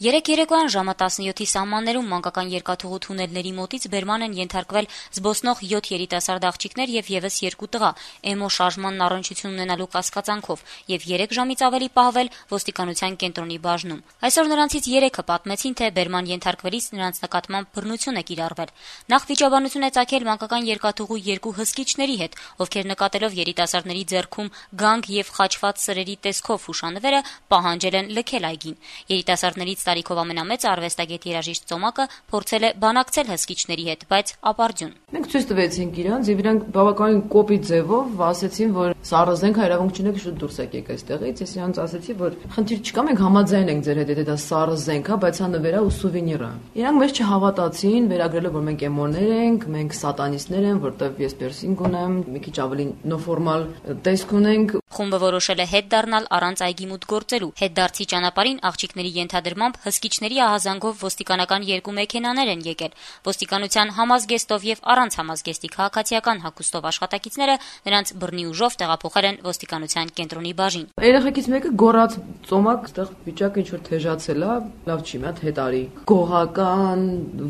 Երեկ երեկոյան ժամը 17-ի սահմաններում մանկական երկաթուղու թունելների մոտից բերման են ենթարկվել զբոսնող 7 երիտասարդ աղջիկներ եւ եւս 2 տղա, էմո շարժմանն առնչություն ունենալու կասկածանքով եւ 3 ժամից ավելի պահվել ոստիկանության կենտրոնի բաժնում։ Այսօր նրանցից 3-ը պատմեցին, թե բերման ենթարկվելիս նրանց նկատմամբ բռնություն է կիրառվել։ Նախ վիճաբանություն է ծագել մանկական երկաթուղու 2 հսկիչների հետ, ովքեր նկատելով երիտասարդների ձեռքում գանգ եւ խաչված սրերի տեսքով հուշանվերը պահանջել են լքել այգին։ Երիտասարդներից տարիքով ամենամեծը արվեստագետ երաժիշտ Ծոմակը փորձել է բանակցել հսկիչների հետ, բայց ապարդյուն։ Մենք ցույց տվեցինք իրանց եւ իրանք բավականին կոպիտ ձևով ասեցին, որ սառը զենք իրավունք չունեք, շուտ դուրս եկեք այստեղից։ Ես իրանց ասեցի, որ խնդիր չկա, մենք համաձայն ենք ձեր հետ, եթե դա սառը զենք է, բայց հա նվերա ու սուվենիր է։ Իրանք մեզ չհավատացին, վերագրելով, որ մենք էմորներ ենք, մենք սատանիստներ ենք, որտեվ ես պերսինգ ունեմ, մի քիչ ավելի նոֆորմալ տեսք ունենք։ Խումբը որոշել է հետ դառնալ առանց այգի մուտք գործելու։ Հետդարձի ճանապարհին աղջիկների ենթադրմամբ հսկիչների ահազանգով ոստիկանական 2 մեքենաներ են եկել։ Ոստիկանության համազգեստով եւ առանց համազգեստի քաղաքացիական հագուստով աշխատակիցները նրանց բռնի ուժով տեղափոխել են ոստիկանության կենտրոնի բաժին։ Երեխեքից մեկը գոռաց Ծոմակ, այդտեղ վիճակը ինչ որ թեժացել է, լավ չի, մի հատ հետ արի։ Գողական,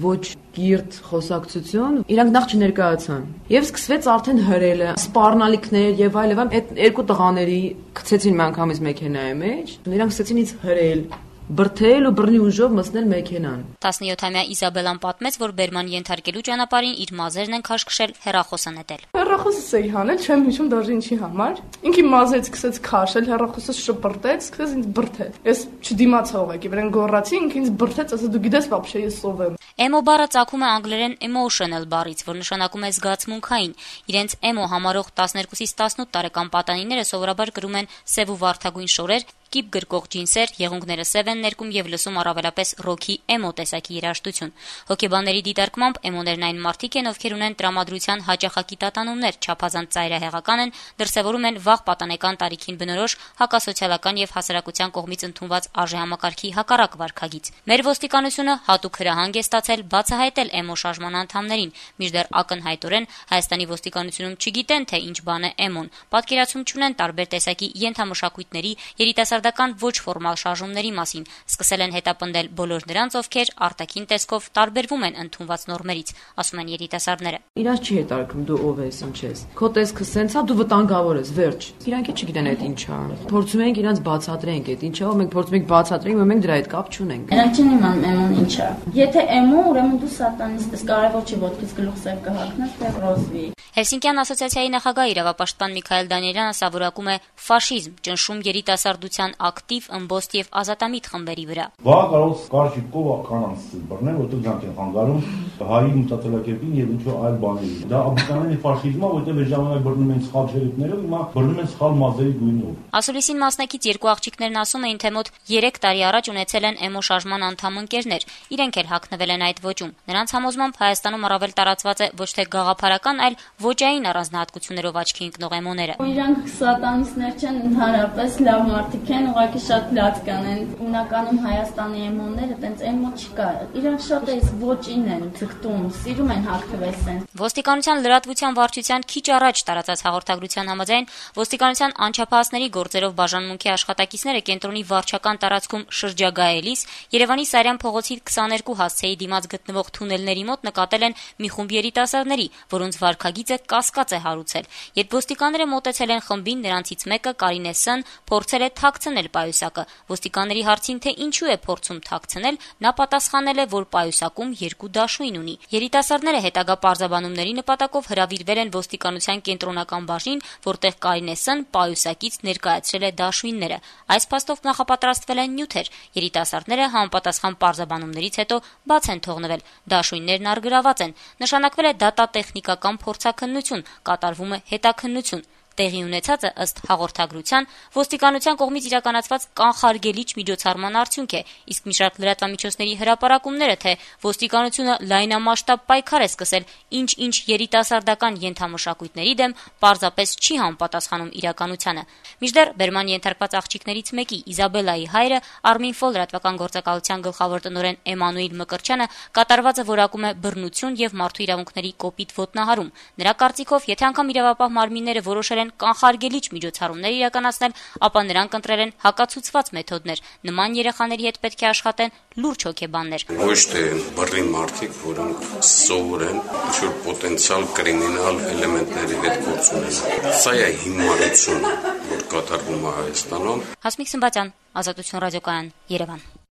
ոչ կիրթ խոսակցություն, իրանք նախ չներկայացան։ Եվ սկսվեց արդեն հրելը, սպառնալիքներ եւ այլն, այդ 2 տղաների գցեցին մի անգամից մեքենայի մեջ, իրանք սկսեցին ինձ հրել, բրթել ու բռնի ուժով մտցնել մեքենան։ 17-ամյա Իզաբելան պատմեց, որ բերման ենթարկելու ճանապարհին իր մազերն են քաշքշել, հեռախոսը նետել։ Հեռախոսս էի հանել, չեմ հիշում դաժե ինչի համար։ Ինքի մազերից սկսեց քաշել, հեռախոսը շպրտեց, սկսեց ինձ բրթել։ Ես չդիմացա ուղղակի, վրան գոռացի, ինքը ինձ բրթեց, ասա դու գիտես, вообще ես ով եմ։ Էմո բառը ծագում է անգլերեն emotional բառից, որ նշանակում է զգացմունքային։ Իրենց էմո համարող 12-ից 18 տարեկան պատանիները սովորաբար կրում են սև ու վարդագույն շորեր, կիպ գրկող ջինսեր, եղունգները սև են ներկում եւ լսում առավելապես ռոքի էմո տեսակի երաժշտություն։ Հոգեբանների դիտարկմամբ էմոներն այն մարդիկ են, ովքեր ունեն տրամադրության հաճախակի տատանումներ, չափազանց ծայրահեղական են, դրսևորում են վաղ պատանեկան տարիքին բնորոշ հակասոցիալական եւ հասարակության կողմից ընդունված արժեհամակարգի հակառակ վարքագիծ։ Մեր ոստիկանությունը հատուկ հրահանգ է ստացել բացահայտել էմո շարժման անդամներին, մինչդեռ ակնհայտորեն Հայաստանի ոստիկանությունում չգիտեն, թե ինչ բան է էմոն, պատկերացում չունեն տարբեր տեսակի ենթամշակույթների, երիտասարդական ոչ ֆորմալ շարժումների մասին, սկսել են հետապնդել բոլոր նրանց, ովքեր արտաքին տեսքով տարբերվում են ընդունված նորմերից, ասում են երիտասարդները։ Իրանց չի հետարկում դու ով ես, ինչ ես։ Քո տեսքը սենց է, դու վտանգավոր ես, վերջ։ Իրանք չգիտեն այդ ինչ է։ Փորձում ենք իրանց բացատրենք այդ ինչ է, մենք փորձում ենք բացատրենք, բայց մենք դրա հետ կապ չունենք։ Իրանք չեն իմանում էմոն ինչ է։ Եթե էմո, ուրեմն դու սատանիստ ես, կարևոր չի ոտքից գլուխ սև կհագնես, թե ռոզվի։ Հելսինկյան ասոցիացիայի նախագահ իրավապաշտպան Միքայել Դանիելյանը սովորակում է ֆաշիզմ, ճնշում երիտասարդության ակտիվ, ըմբոստ եւ ազատամիտ խմբերի վրա։ Բա կարող կարճի կով կանանց բռնել, որտեղ դրանք են խանգարում հայի մտածելակերպին եւ ինչ-որ այլ բաների։ Դա աբսոլյուտորեն ֆաշիզմ է, որտեղ այդ ժամանակ բռնում են սխալ չերիքներով, հիմա բռնում են սխալ մազերի գույնով։ Ասուլիսին մասնակից 2 աղջիկներն ասում էին, թե մոտ 3 տարի առաջ ունեցել են էմո շարժման անդամ ընկերներ։ Իրենք էլ հագնվել են այդ ոճում։ Նրանց համոզմամբ Հայաստանում առավել տարածված է ոչ թե գաղափարական, այլ ոճային առանձնահատկություններով աչքի ընկնող էմոները։ Իրանք սատանիստներ չեն, ընդհանրապես լավ մարդիկ են, ուղղակի շատ լաց կանեն։ Հիմնականում Հայաստանի էմոները տենց էմո չկա։ Իրանք շատ էս ոճին են ձգտում, սիրում են հագնվել սենց։ Ոստիկանության լրատվության վարչության քիչ առաջ տարածած հաղորդագրության համաձայն ոստիկանության անչափահասների գործերով բաժանմունքի աշխատակիցները կենտրոնի վարչական տարածքում շրջագայելիս Երևանի Սարյան փողոցի 22 հասցեի դիմաց գտնվող թունելների մոտ նկատել են մի խումբ երիտասարդների, որոնց վարքագիծը կասկած է հարուցել։ Երբ ոստիկանները մոտեցել են խմբին, նրանցից մեկը Կարինե Ս-ն փորձել է թաքցնել պայուսակը։ Ոստիկանների հարցին, թե ինչու է փորձում թաքցնել, նա պատասխանել է, որ պայուսակում 2 դաշույն ունի։ Երիտասարդները հետագա պարզաբանումների նպատակով հրավիրվել են ոստիկանության կենտրոնական բաժին, որտեղ Կարինե Ս-ն պայուսակից ներկայացրել է դաշույնները։ Այս փաստով նախապատրաստվել են նյութեր։ Երիտասարդները համապատասխան պարզաբանումներից հետո բաց են թողնվել։ Դաշույններն առգրաված են։ Նշանակվել է դատատեխնիկական փորձաքննություն, կատարվում է հետաքննություն։ Տեղի ունեցածը ըստ հաղորդագրության ոստիկանության կողմից իրականացված կանխարգելիչ միջոցառման արդյունք է, իսկ մի շարք լրատվամիջոցների հրապարակումները, թե ոստիկանությունը լայնամասշտաբ պայքար է սկսել ինչ-ինչ երիտասարդական ենթամշակույթների դեմ, պարզապես չի համապատասխանում իրականությանը։ Մինչդեռ բերման ենթարկված աղջիկներից մեկի Իզաբելայի հայրը Arminfo լրատվական գործակալության գլխավոր տնօրեն Էմանուիլ Մկրտչյանը կատարվածը որակում է բռնություն եւ մարդու իրավունքների կոպիտ ոտնահարում։ Նրա կարծիքով, եթե անգամ իրավապահ մարմինները որոշել են են կանխարգելիչ միջոցառումներ իրականացնել, ապա նրանք ընտրել են հակացուցված մեթոդներ։ Նման երեխաների հետ պետք է աշխատեն լուրջ հոգեբաններ։ Ոչ թե բռնի մարդիկ, որոնք սովոր են ինչ-որ պոտենցիալ կրիմինալ էլեմենտների հետ գործ ունենալ։ Սա է հիմարությունը, որ կատարվում է Հայաստանում։ Հասմիկ Սմբատյան, Ազատություն ռադիոկայան, Երևան։